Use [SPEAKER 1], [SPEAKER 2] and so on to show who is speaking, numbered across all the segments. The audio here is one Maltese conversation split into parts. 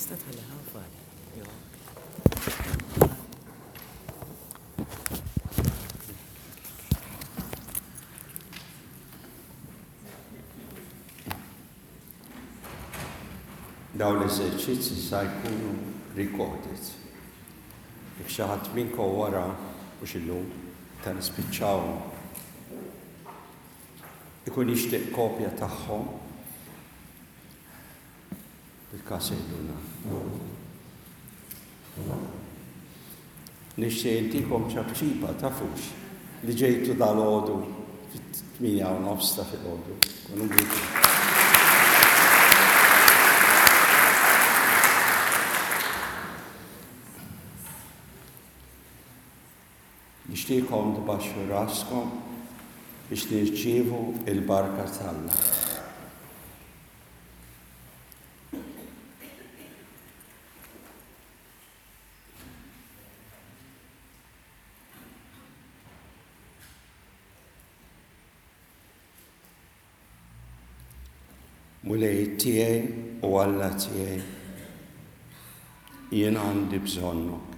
[SPEAKER 1] Tista' tħalli ħafal. Jew
[SPEAKER 2] Dawn l-eżerċizzi sa jkunu recorded. Jekk xi ħadd minnkom wara mhux illum ta' nispiċċawhom ikun jixtieq kopja tagħhom bil-każ jgħidulna. Nixtieq intikom ċapċipa tafux li ġejtu dalgħodu fit-8 u nofs ta' filgħodu. Kunu bikum. Nixtieqkom tbaxxu raskom biex nirċievu il-barka t'Alla. Mulej tiegħi u Alla tiegħi, jien għandi bżonnok.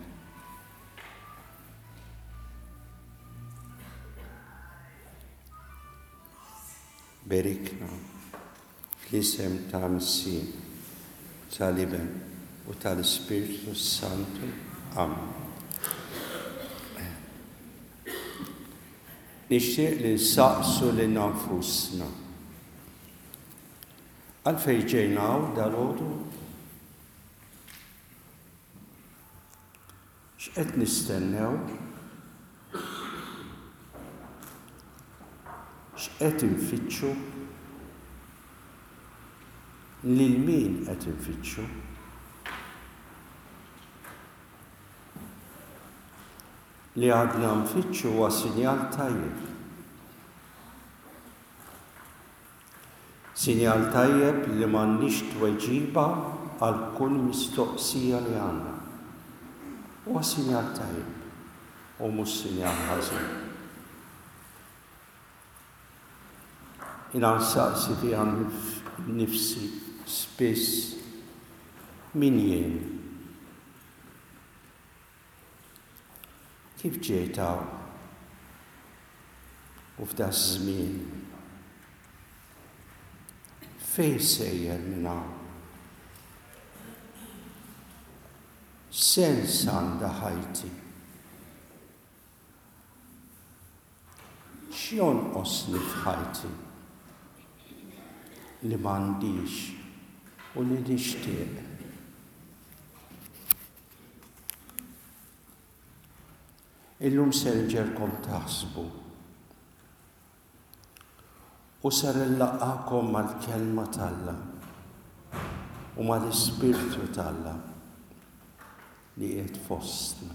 [SPEAKER 2] Berikna fl-isem ta' Missier, tal-Iben u tal-Ispirtu Santu. Amen. Nixtieq li nsaqsu lilna nfusna. Għalfejn ġejna hawn dalgħodu? X'qed nistennew? X'qed infittxu? Lil min qed infittxu? Li għadna nfittxu huwa sinjal tajjeb. Sinjal tajjeb li m'għandniex tweġiba għal kull mistoqsija li għandna. Huwa sinjal tajjeb u mhux sinjal ħażin. Jiena nsaqsi fiha nnifsi spiss min jien? Kif ġejt hawn u f'daż-żmien? Fejn sejjer minn hawn? X'sens għandha ħajti? X'jonqosni f'ħajti li m'għandix u li nixtieq? Illum ser inġegħelkom taħsbu u ser inlaqqagħkom mal-Kelma t'Alla u mal-Ispirtu t'Alla li qiegħed fostna.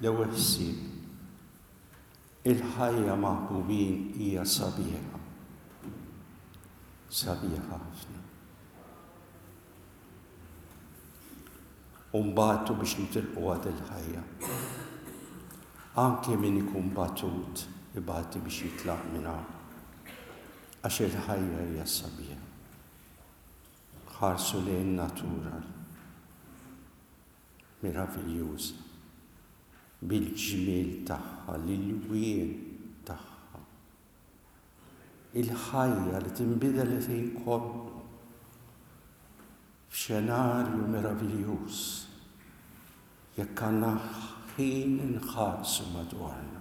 [SPEAKER 2] L-ewwel ħsieb, il-ħajja maħbubin hija sabiħa. Sabiħa ħafna. U nbatu biex nitilquha dil-ħajja. Anke min ikun batut ibati biex jitlaq minn hawn. Għax il-ħajja hija sabiħa. Ħarsu lejn natura meraviljuża bil-ġmiel tagħha, l-ilwien tagħha. Il-ħajja li tinbidel il-ħin kollu f'xenarju meraviljuż jekk għandna ħin inħarsu madwarna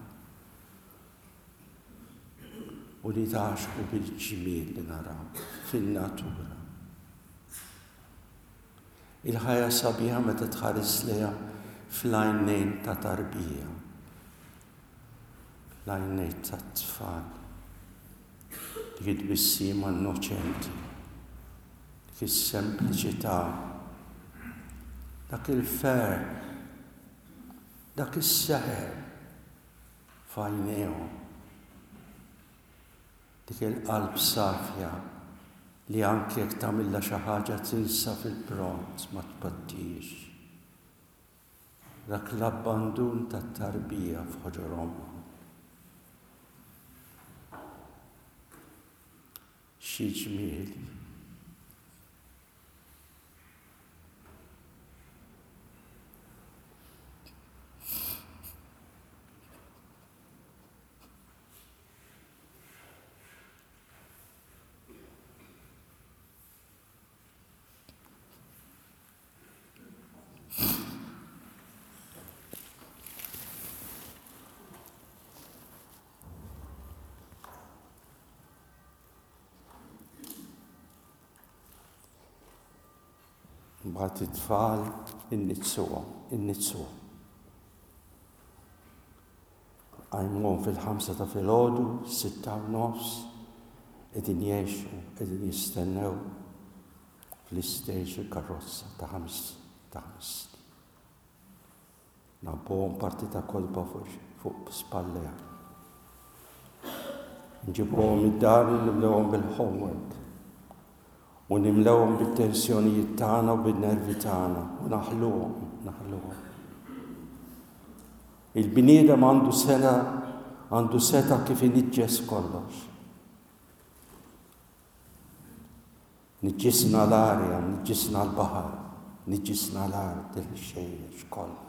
[SPEAKER 2] u nitgħaxqu bil-ġmiel li naraw fin-natura. Il-ħajja sabiħa meta tħares lejha fl-għajnejn ta' tarbija. L-għajnejn tat-tfal. Dik it-tbissima innoċenti. Dik is-sempliċità. Dak il-ferħ. Dak is-seħer f'għajnejhom. Dik il-qalb safja li anke jekk tagħmilha xi ħaġa tinsa fil-pront ma tpattix. Dak l-abbandun tat-tarbija f'ħoġor ommha. Xi ġmiel. Mbagħad it-tfal inniġġsuhom, inniġġsuhom. Qajmuhom fil-ħamsa ta' filgħodu, 6:30, qegħdin jgħixu, qegħdin jistennew fl-istage il-karozza ta' ħames ta' ħames snin. Ngħabbuhom parti ta' kotba fuq spallejha. Nġibuhom id-dar u nimlewhom bil-homework. U nimlewhom bit-tensjonijiet tagħna u bin-nervi tagħna u naħluhom, naħluhom. Il-bniedem għandu sena għandu seta' kif iniġġes kollox. Niġġisna l-arja, niġġisna l-baħar, niġġisna l-art, il-ħxejjex, kollox.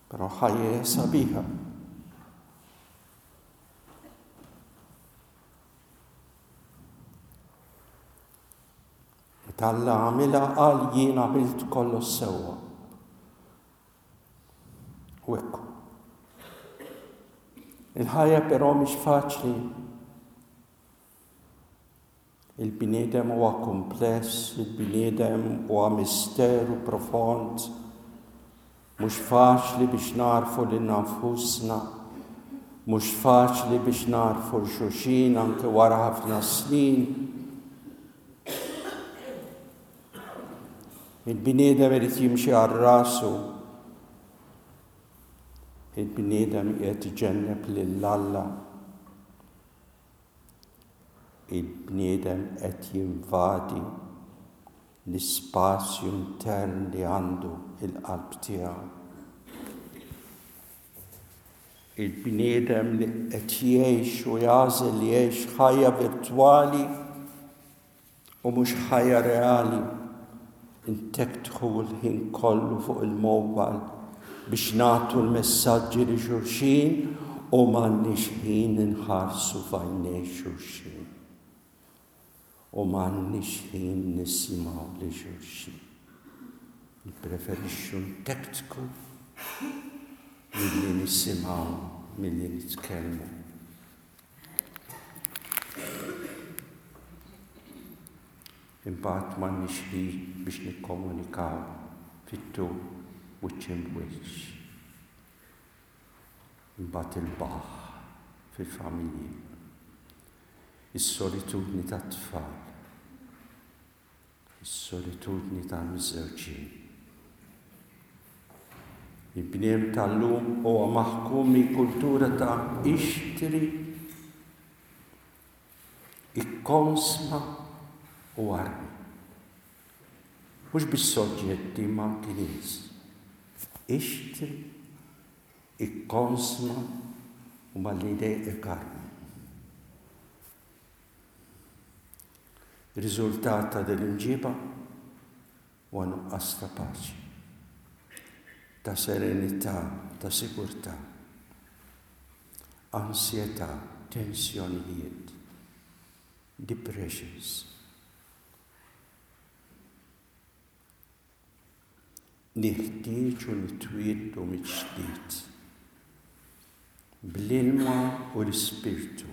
[SPEAKER 2] Però ħajja hija sabiħa. Meta Alla għamilha qal jien għamilt kollox sewwa. U hekk. Il-ħajja però mhix faċli. Il-bniedem huwa kumpless, il-bniedem huwa misteru profond. Mhux faċli biex nagħrfu lilna nfusna, mhux faċli biex nagħrfu 'l xulxin anke wara ħafna snin. Il-bniedem irid jimxi għal rasu. Il-bniedem qiegħed iġenneb lil Alla. Il-bniedem qed jinvadi l-ispazju intern li għandu il-qalb tiegħu. Il-bniedem li qed jgħix u jagħżel li jgħix ħajja virtwali u mhux ħajja reali. Intektħu l-ħin kollu fuq il-mobile biex nagħtu l-messaġġi li xulxin u m'għandniex ħin inħarsu f'għajnejn xulxin. U m'għandniex ħin nisimgħu lil xulxin. Nippreferixxu ntektku milli nisimgħu milli nitkellmu. Imbagħad m'għandniex ħin biex nikkomunikaw fit-tul wiċċ imb'wiċċ. Imbagħad il-baħħ fil-familji. Is-solitudni tat-tfal. Is-solitudni tal-miżżewġin. Il-bniem tal-lum huwa maħkum minn kultura ta' ixtri, ikkonsma u armi. Mhux biss oġġetti imma anki nies. Ixtri, ikkonsma u malli jdejqek armi. Riżultat ta' din l-imġiba huwa nuqqas ta' paċi, ta' serenità, ta' sigurtà, ansjetà, tensjonijiet, depressions. Neħtieġu nitwieldu mill-ġdid bl-ilma u l-Ispirtu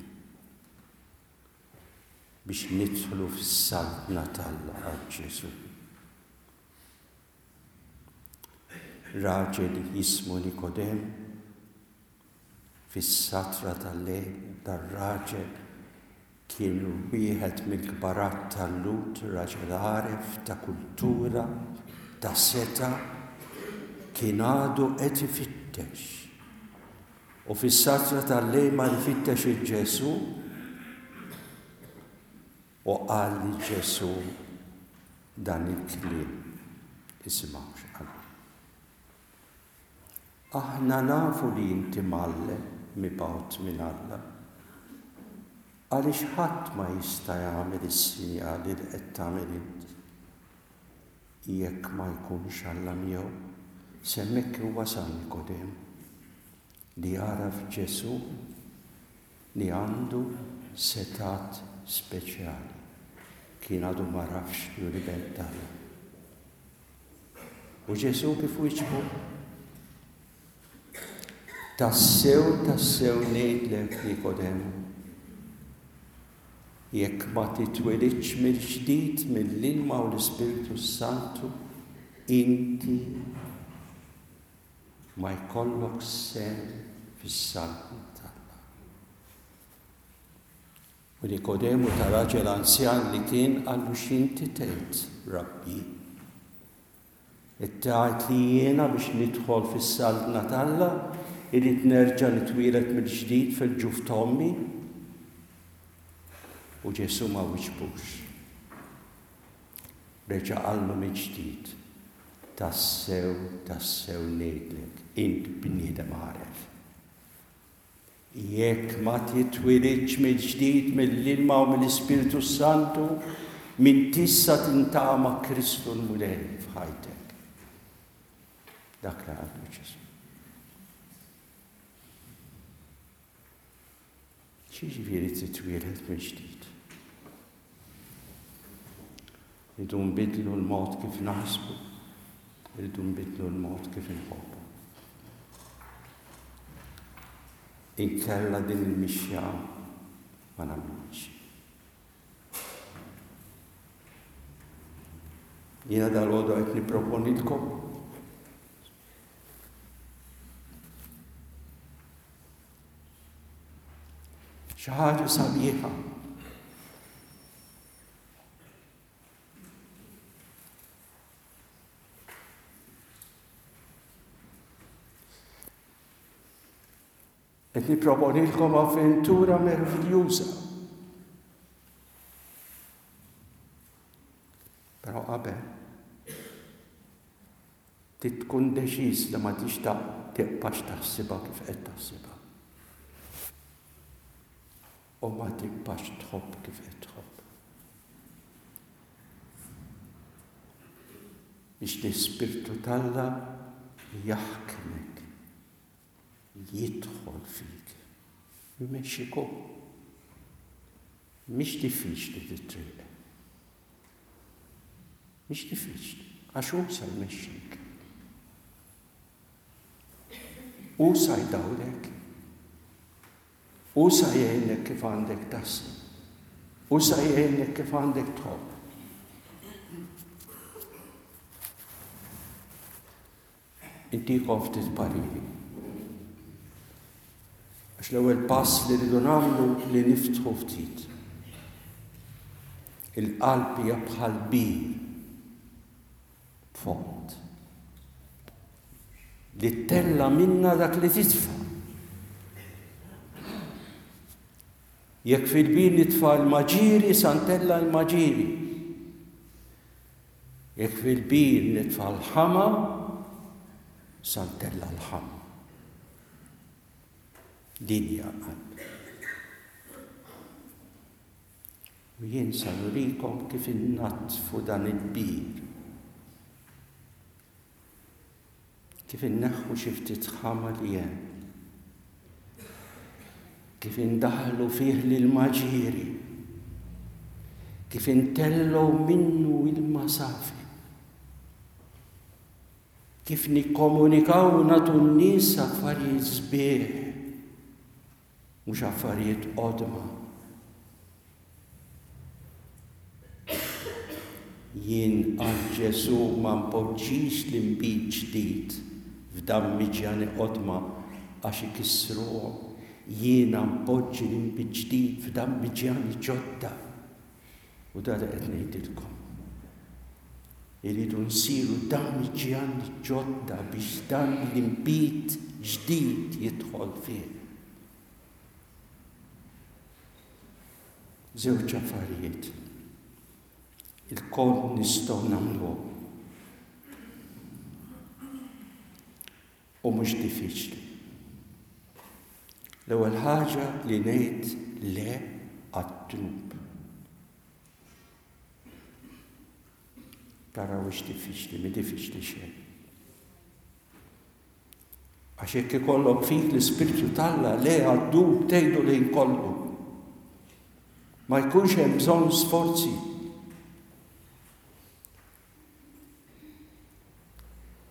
[SPEAKER 2] biex nidħlu fis-Saltna t'Alla, qal Ġesù. Raġel jismu Nikodemu Fis-satra tal-lejl, dar-raġel kien wieħed mill-kbarat tal-Lhud, raġel għaref, ta' kultura, ta' setgħa, kien għadu qed ifittex. U fis-satra tal-lejl mar ifittex 'il Ġesù u qal lil Ġesù dan il-kliem. Isimgħu x'qallu. Aħna nafu li inti mgħallem mibgħut minn Alla, għaliex ħadd ma jista' jagħmel is-sinjali li qed tagħmel int jekk ma jkunx Alla miegħu. S'hemmhekk wasal Nikodemu li għaraf Ġesù li għandu setgħat speċjali. Kien għadu m'għarafx li hu l-Iben t'Alla. U Ġesù kif wieġbu? Tassew, tassew ngħidlek, Nikodemu, jekk ma titwilidx mill-ġdid mill-ilma u l-Ispirtu s-Santu, inti ma jkollok sehem fis-Saltna t'Alla. U Nikodemu ta' raġel anzjan li kien qallu x'inti tgħid, Rabbi? Qed tgħid li jiena biex nidħol fis-Saltna t'Alla irrid nerġa' nitwieled mill-ġdid fil-ġuf t'ommi? U Ġesù ma wiġbux. Reġa' qallu mill-ġdid, Tassew, tassew ngħidlek, int bniedem għaref. Jekk ma titwilidx mill-ġdid mill-ilma u mill-Ispirtu s-Santu, m'intix sa tintaqa' ma' Kristu l-Mulej f'ħajtek. Dak li qallu Ġesù. X'jiġifieri titwieled mill-ġdid? Irridu nbiddlu l-mod kif naħsbu, irridu nbiddlu l-mod kif inħobbu. Inkella din il-mixja ma nagħmlux. Jiena dal-għodu qed nipproponilkom Xi ħaġa sabiħa. Qed nipproponilkom avventura meraviljuża. Però qabel Trid tkun deċiż li ma tixtaq tibqax taħsibha kif qed taħsibha. U ma tibqax tħobb kif qed tħobb. Biex l-Ispirtu t'Alla jaħkmek, jidħol fik, jmexxik hu. Mhix diffiċli dit-triq. Mhix diffiċli, għax hu sa jmexxik. Hu sa jdawlek. Hu sa jgħinek kif għandek taħseb. Hu sa jgħinek kif għandek tħobb. Intikom ftit pariri. Għax l-ewwel pass li rridu nagħmlu li niftħu ftit. Il-qalb hija bħal bir fond li ttella minna dak li titfa'. Jekk fil-bir nitfa' l-maġiri, sa ntella' l-maġiri. Jekk fil-bir nitfa' l-ħama, sa ntella' l-ħama. Din hija l-qalb. U jien sa nurikom kif innaddfu dan il-bir. Kif inneħħu xi ftit ħama li hemm. Kif indaħħlu fih l-ilma ġieri. Kif intellgħu minnu ilma safi. Kif nikkomunikaw u nagħtu n-nies affarijiet sbieħ, mhux affarijiet qodma. Jien, qal Ġesù, ma npoġġix l-inbid ġdid f'dammiġjani qodma għax ikissruhom. Jiena npoġġi l-inbid ġdid f'dammiġjani ġodda. U dan li qed ngħidilkom. Irridu nsiru dammiġjani ġodda biex dan l-inbid ġdid jidħol fih. Żewġ affarijiet. Ilkoll nistgħu nagħmluhom. U mhux diffiċli. L-ewwel ħaġa li ngħid le għad-dnub. Taraw hix diffiċli, mi diffiċli xejn. Għax jekk ikollok fik l-Ispirtu t'Alla le għad-dnub tgħidu l-ħin kollu. Ma jkunx hemm bżonn sforzi.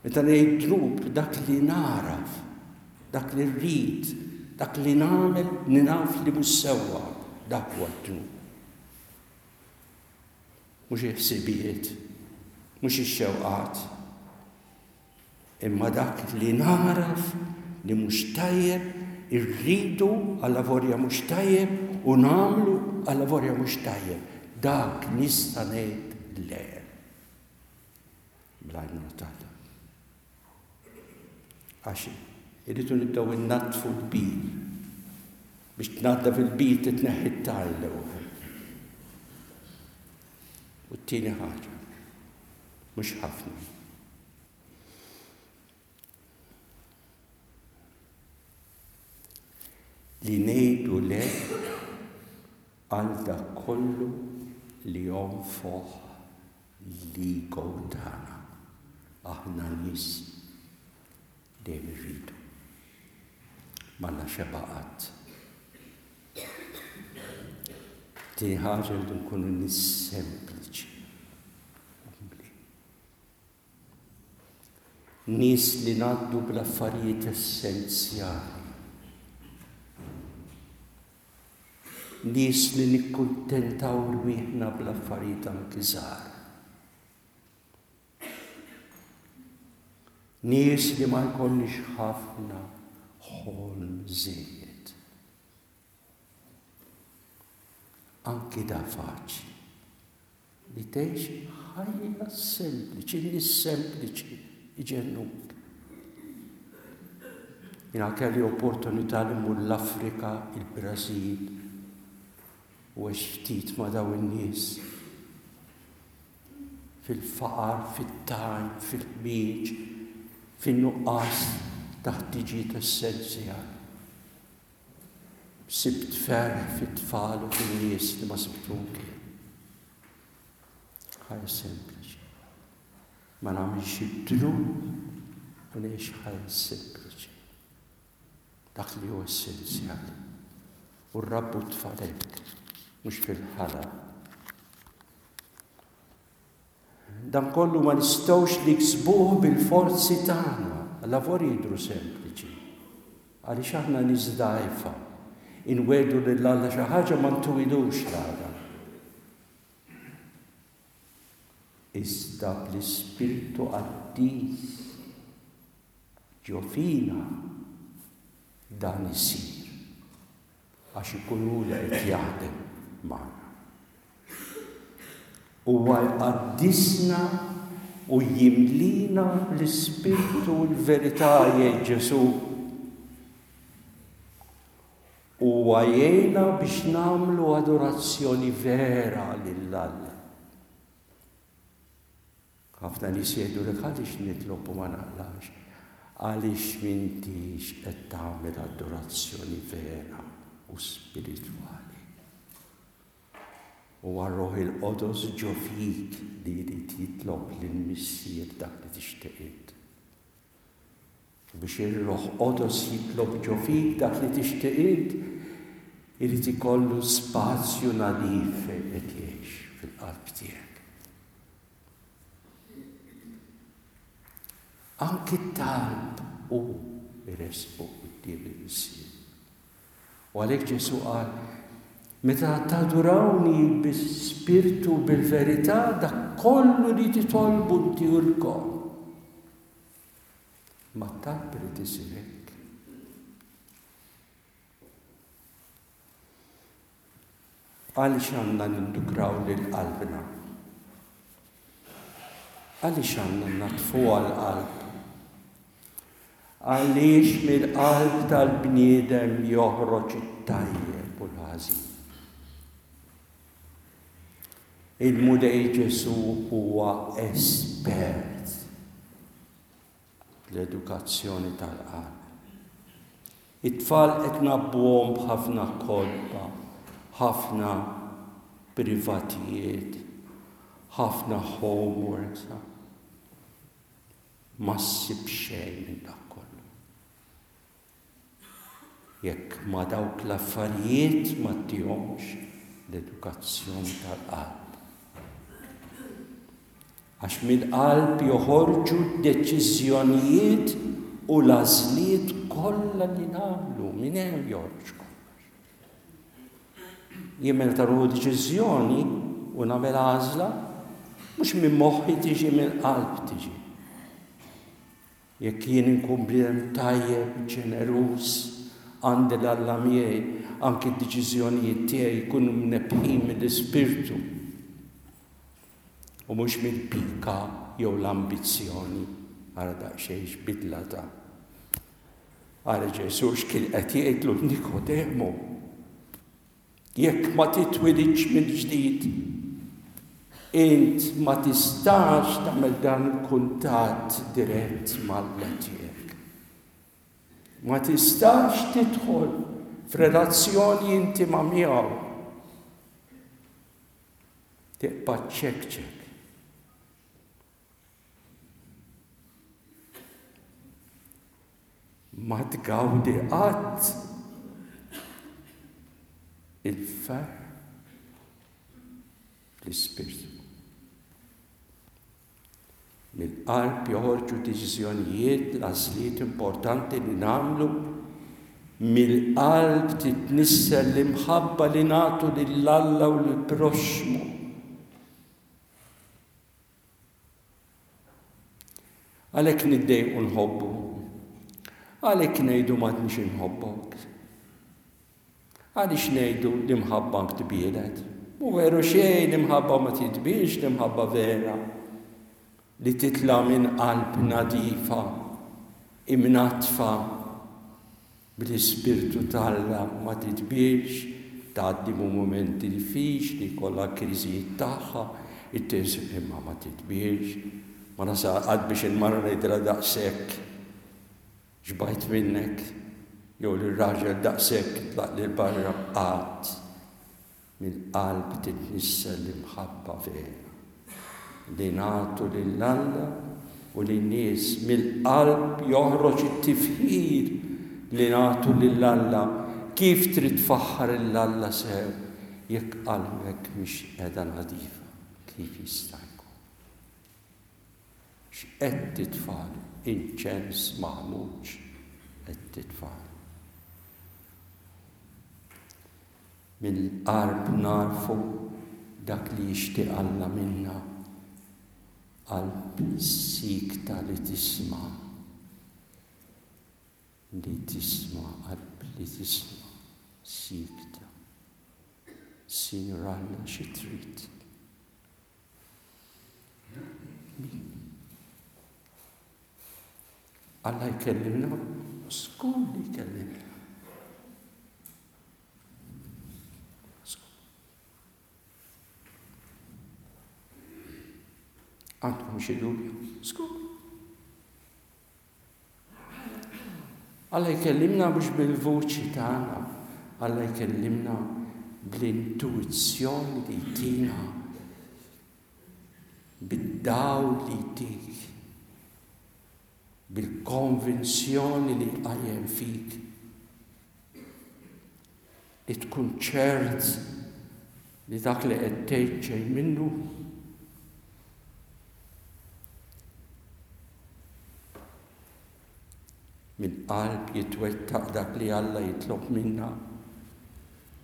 [SPEAKER 2] Meta ngħid dnub dak li nagħraf. Dak li rrid, dak li nagħmel li naf li mhux sewwa, dak huwa d-dnub. Mhux il-ħsibijiet, mhux ix-xewqat, imma dak li nagħraf li mhux tajjeb, irridu allavolja mhux tajjeb u nagħmlu allavolja mhux tajjeb. Dak nista' ngħid le. Bl-għajnuna t'Alla. Għax irridu nibdew innaddfu l-bir. Biex tnaddaf il-bir titneħħi t-tajn l-ewwel. U t-tieni ħaġa, mhux ħafna. Li ngħidu le għal dak kollu li jonfoħ l-ego tagħna. Aħna nies dejjem irridu. M'għandna xeba' qatt. Tieni ħaġa rridu nkunu nies sempliċi. Umli. Nies li ngħaddu bl-affarijiet essenzjali. Nies li nikkuntentaw rwieħna bl-affarijiet anki żgħar. Nies li ma jkollniex ħafna ħolm żejjed. Anki da faċli. Li tgħix ħajja sempliċi, nies sempliċi iġennuk. Jiena kelli opportunità li mmur l-Afrika, il-Brażil, u għext ftit ma' dawn in-nies fil-faqar, fit-tajn, fil-ħmieġ, fin-nuqqas ta' ħtiġijiet essenzjali. Sibt ferħ fit-tfal u fin-nies li ma sibtu mkien. Ħajja sempliċi. Ma nagħmilx id-dnub u ngħix ħajja sempliċi. Dak li hu essenzjali. U rrabbu t-tfal hekk, mhux fil-ħala. Dan kollu ma nistgħux niksbuh bil-forzi tagħna. Lavori jidhru sempliċi. Għaliex aħna nies dgħajfa. Inwegħdu lil Alla xi ħaġa ma ntuwilux l-għada. Iżda bl-Ispirtu Qaddis ġo fina dan isir. Għax ikun hu li qed jaħdem magħna. Huwa jqaddisna u jimlina bl-Ispirtu u l-verità, jgħid Ġesù. Huwa jgħinna biex nagħmlu adorazzjoni vera lil Alla. Ħafna nies jgħidulek għaliex nitlob u ma naqlax. Għaliex m'intix qed tagħmel adorazzjoni vera u spiritwali. Huwa r-Ruħ il-Qodos ġo fik li jrid jitlob lill-Missier dak li tixtieq int. U biex ir-Ruħ Qodos jitlob ġo fik dak li tixtieq int, irid ikollu spazju nadif fejn qed jgħix fil-qalb tiegħek. Anki t-talb hu jressqu quddiem il-Missier. U għalhekk Ġesù qal, Meta tadurawni bi-spirtu u bil-verità, dak kollu li titolbu ntihulkom. Ma t-talb irid isir hekk. Għaliex għandna nindukraw lil qalbna? Għaliex għandna nnaddfuha l-qalb? Għaliex mill-qalb tal-bniedem joħroġ it-tajjeb u l-ħażin. Il-Mulej Ġesù huwa espert l-edukazzjoni tal-qalb. It-tfal qed ngħabbuhom b'ħafna kotba, ħafna privatijiet, ħafna homeworks. Ma ssib xejn minn dak kollu. Jekk ma' dawk l-affarijiet ma ttihomx l-edukazzjoni tal-qalb. Għax mill-qalb joħorġu d-deċiżjonijiet. u l-għażliet kollha li nagħmlu minn hemm joħroġ kollox. Jien meta nieħu deċiżjoni u nagħmel għażla, mhux minn moħħi tiġi minn qalb tiġi. Jekk jien inkun bniedem tajjeb, ġeneruż, għandi 'l Alla miegħi, anki d-deċiżjonijiet tiegħi jkunu mnebbħin mill-Ispirtu u mhux mill-pika jew l-ambizzjoni. Ara daqsxejn x'bidla ta'. Ara Ġesù x'kien qed jgħidlu Nikodemu. Jekk ma titwilidx mill-ġdid, int ma tistax tagħmel dan il-kuntatt dirett m'Alla tiegħek. Ma tistax tidħol f'relazzjoni intima miegħu. Tibqa' ċekċek. Ma tgawdi qatt il-ferħ fl-ispirtu. Mill-qalb joħorġu deċiżjonijiet, l-għażliet importanti li nagħmlu, mill-qalb titnissel l-imħabba li nagħtu lil Alla u lill-proxxmu. Għalhekk niddejqu nħobbu. Għalhekk ngħidu m'għadnix inħobbok. Għaliex ngħidu l-imħabba tbielet? Mhu veru xejn l-imħabba ma titbielx l-imħabba vera li titla' minn qalb nadifa, imnaddfa Bl-Ispirtu t'Alla ma titbielx, tgħaddi minn mumenti diffiċli, jkollha l-kriżijiet tagħha, imma ma titbielx. Ma nasal qatt biex il-mara ngħidilha daqshekk xbajt minnek, jew lir-raġel daqshekk itlaq 'l barra qatt. Mill-qalb titnissel l-imħabba vera li nagħtu lil Alla u lin-nies. Mill-qalb joħroġ it-tifħir li nagħtu lil Alla. Kif trid tfaħħar 'l Alla sew jekk qalbek mhix qiegħda nadifa? Kif jista' jkun? X'qed titfagħlu? Inċens maħmuġ qed titfagħlu. Mill-qalb nagħrfu dak li jixtieq Alla minna, qalb siekta li tisma', li tisma', qalb li tisma', siekta. Sinjur Alla xi trid? Alla jkellimna, żgur li jkellimna. Għandkom xi dubju? Żgur. Alla jkellimna mhux bil-vuċi tagħna, Alla jkellimna bl-intuizzjoni li jtina, bid-dawl li jtik, bil-konvinzjoni li jqajjem fik. Li tkun ċert li dak li qed tgħid ġej minnu. Mill-qalb jitwettaq dak li Alla jitlob minna.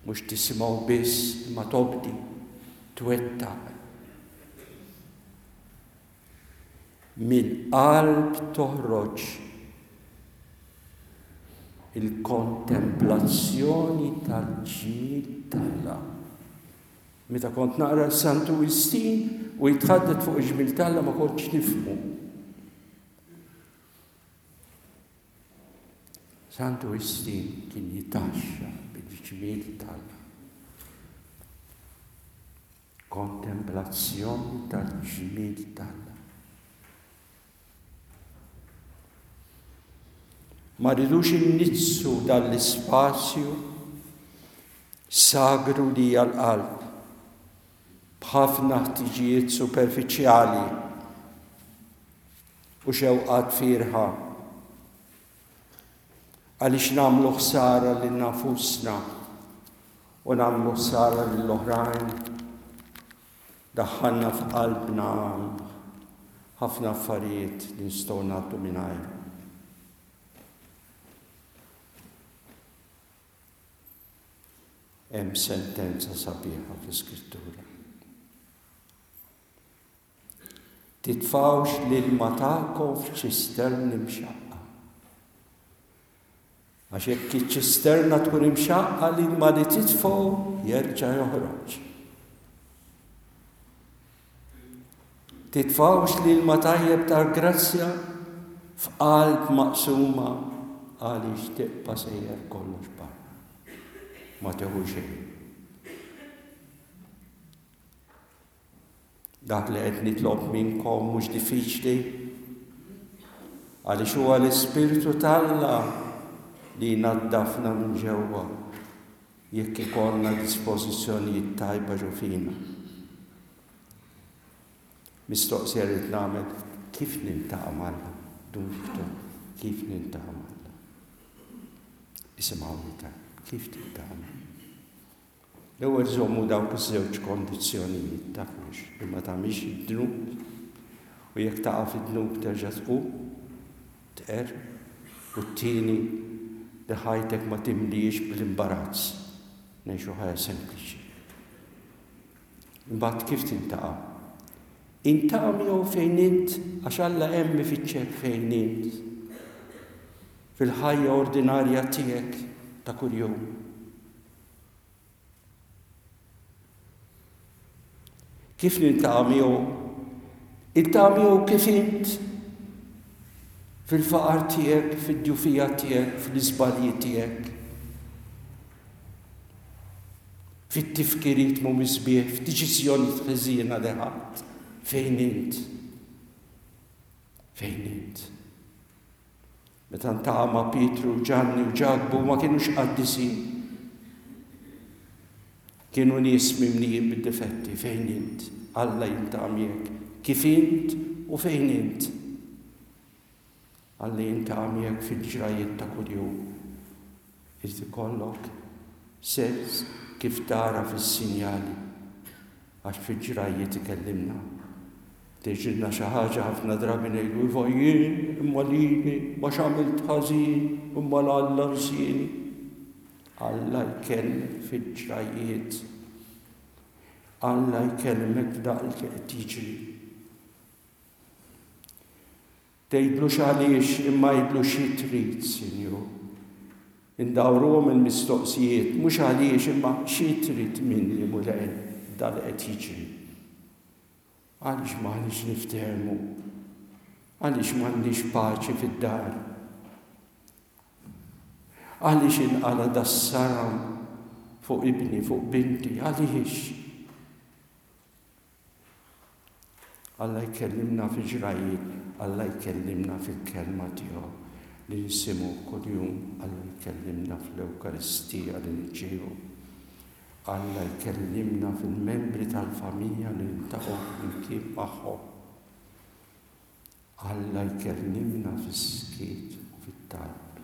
[SPEAKER 2] Mhux tisimgħu biss imma tobdi, twettaq. Mill-qalb toħroġ il-kontemplazzjoni tal-ġmiel t'Alla. Meta kont naqra Santu Wistin u jitħaddet fuq il-ġmiel t'Alla ma kontx nifhmu. Santu Wistin kien jitaxxa bil-ġmiel t'Alla. Kontemplazzjoni tal-ġmiel t'Alla. Ma rridux inniġġsu dan l-ispazju sagru li hija l-qalb b'ħafna ħtiġijiet superfiċjali u xewqat fierħa għaliex nagħmlu ħsara lil nfusna u nagħmlu ħsara lill-oħrajn. Daħħalna f'qalbna ħafna affarijiet li nistgħu ngħaddu mingħajrhom. Hemm sentenza sabiħa fl-Iskrittura. Titfgħux l-ilma tagħkom f'ċisterni mxaqqa. Għax jekk iċ-ċisterna tkun imxaqqa l-ilma li titfgħu jerġa' joħroġ. Titfgħux l-ilma tajjeb tal-grazzja f'qalb maqsuma għaliex tibqa' sejjer kollox barra. Ma tieħu xejn. Dak li qed nitlob minnkom mhux diffiċli, għaliex huwa l-Ispirtu t'Alla li jnaddafna minn ġewwa jekk ikollna dispożizzjonijiet tajba ġo fina. Mistoqsija rrid nagħmel kif niltaqa' m'Alla? Dun Victor, kif niltaqa' m'Alla? Isimgħuni tajjeb, kif tiltaqa' m'Alla? L-ewwel żommu dawk iż-żewġ kondizzjonijiet, tafux, li ma tagħmilx id-dnub, u jekk taqa' fid-dnub terġa' tqum, tqerr, u t-tieni li ħajtek ma timlihiex bl-imbarazz, ngħixu ħajja sempliċi. Imbagħad kif tintaqa'? Intaqa' miegħu fejn int, għax Alla hemm ifittxek fejn int. Fil-ħajja ordinarja tiegħek ta' kuljum. Kif niltaqa' miegħu? Iltaqa' miegħu kif int fil-faqar tiegħek, fid-djufija tiegħek, fl-iżbalji tiegħek. Fit-tifkiriet mhumiex sbieħ, f'deċiżjonijiet ħżiena li ħadt. Fejn int? Fejn int? Meta ltaqa' ma' Pietru, Ġanni u Ġakbu ma kinux qaddisin. Kienu nies mimlijin bid-difetti. Fejn int? Alla jiltaqa' miegħek. Kif int u fejn int? Alla jiltaqa' miegħek fil-ġrajjiet ta' kuljum. Irid ikollok sens kif tara fis-sinjali għax fil-ġrajjiet ikellimna. Tiġrilna xi ħaġa ħafna drabi ngħidu iva jien, imma lili, ma x'għamilt ħażin, imma 'l Alla nsieni. Alla jkellmek fil-ġrajjiet. Alla jkellmek f'dak li qed jiġri. Tgħidlux għaliex imma għidlu xi trid, Sinjur. Indawruhom il-mistoqsijiet, mhux għaliex imma xi trid minni Mulej f'dan li qed jiġri. Għaliex m'aħniex niftehmu? Għaliex m'għandniex paċi fid-dar? Għaliex inqala' das-saram fuq ibni, fuq binti? Għaliex? Alla jkellimna fi ġrajjiet, Alla jkellimna fil-kelma tiegħu li nisimgħu kuljum, Alla jkellimna fl-Ewkaristija li nirċievu. Alla jkellimna fil-membri tal-familja li niltaqgħu flimkien magħhom. Alla jkellimna fis-skiet u fit-talb.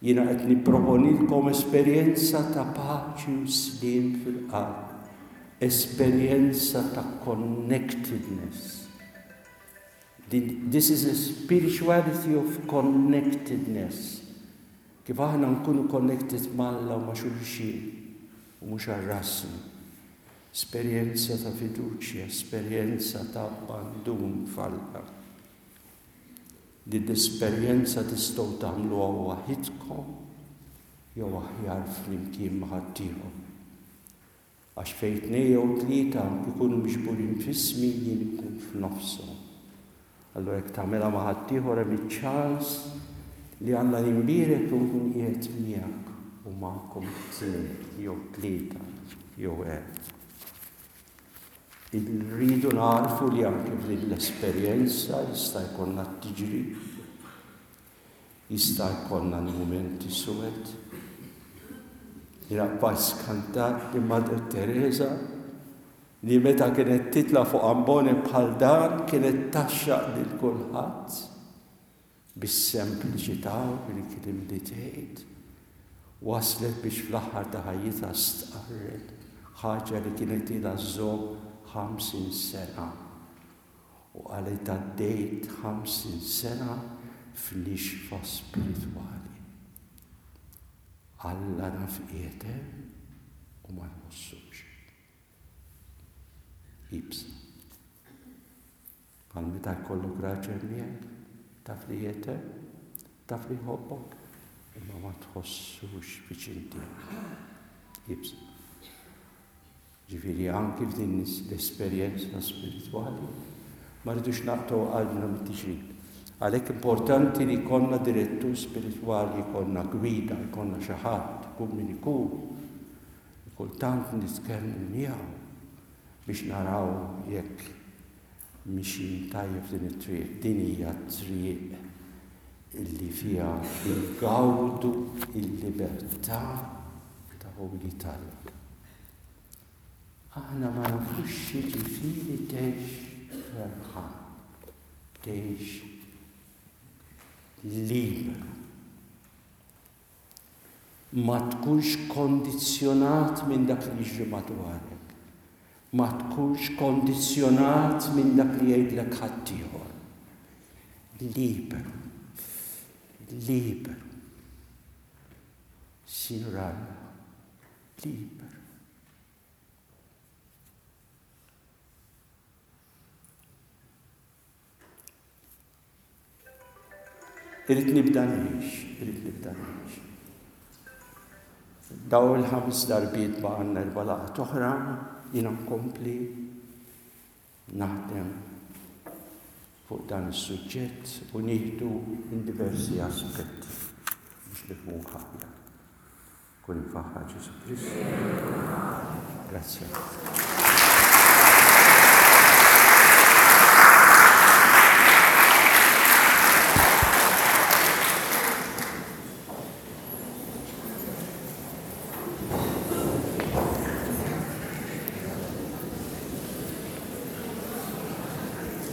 [SPEAKER 2] Jiena qed nipproponilkom esperjenza ta' paċi u sliem fil-qalb, esperjenza ta' connectedness. This is a spirituality of connectedness. Kif aħna nkunu connected m'Alla u ma' xulxin u mhux għal rasna. Esperjenza ta' fiduċja, esperjenza ta' abbandun f'Alla. Din l-esperjenza tistgħu tagħmluha waħidkom jew aħjar flimkien ma' ħaddieħor. Għax fejn tnejn jew tlieta jkunu miġburin f'ismi jien inkun f'nofshom. Allura jekk tagħmilha ma' ħaddieħor hemm iċ-ċans li Alla jimbierek u jkun qiegħed miegħek u magħkom it-tnejn jew tlieta jew erbgħa. Irridu nagħrfu li anke f'din l-esperjenza jista' jkollna t-tiġrib. Jista' jkollna l-mumenti suwed. Jiena bqajt skantat li Madre Teresa li meta kienet titla' fuq ambone bħal dan kienet tgħaxxaq lil kulħadd bis-sempliċità u bil-kliem li tgħid. Waslet biex fl-aħħar ta' ħajjitha stqarret ħaġa li kienet ilha żżomm 50 sena. U qalet għaddejt 50 sena f'nixfa spiritwali. Alla naf qiegħed hemm u ma nħossux. Iebsa. Bħal meta jkollok raġel miegħek, taf li qiegħed hemm, taf li jħobbok, imma ma tħossux viċin tiegħek. Iebsa. Ġifieri anki f'din l-esperjenza spiritwali ma rridux naqtgħu qalbna mit-tiġrib. Għalhekk importanti li jkollna direttur spiritwali, jkollna gwida, jkollna xi ħadd, ikun min ikun, li kultant nitkellmu miegħu biex naraw jekk mixjin tajjeb f'din it-triq. Din hija t-triq illi fiha ingawdu l-libertà ta' wlied Alla. Aħna ma nafux x'jiġifieri tgħix ferħan, tgħix liberu. Ma tkunx kondizzjonat minn dak li jiġri madwarek. Ma tkunx kondizzjonat minn dak li jgħidlek ħaddieħor. Liberu. Liberu. Sinjur Alla, liberu. Irrid nibda ngħix, irrid nibda ngħix. Daw il-ħames darbiet baqgħalna erba' laqgħat oħra, jiena nkompli naħdem fuq dan is-suġġett u nieħdu minn diversi aspetti biex nifhmuh aħjar. Kun imfaħħar Ġesù Kristu. Grazzi.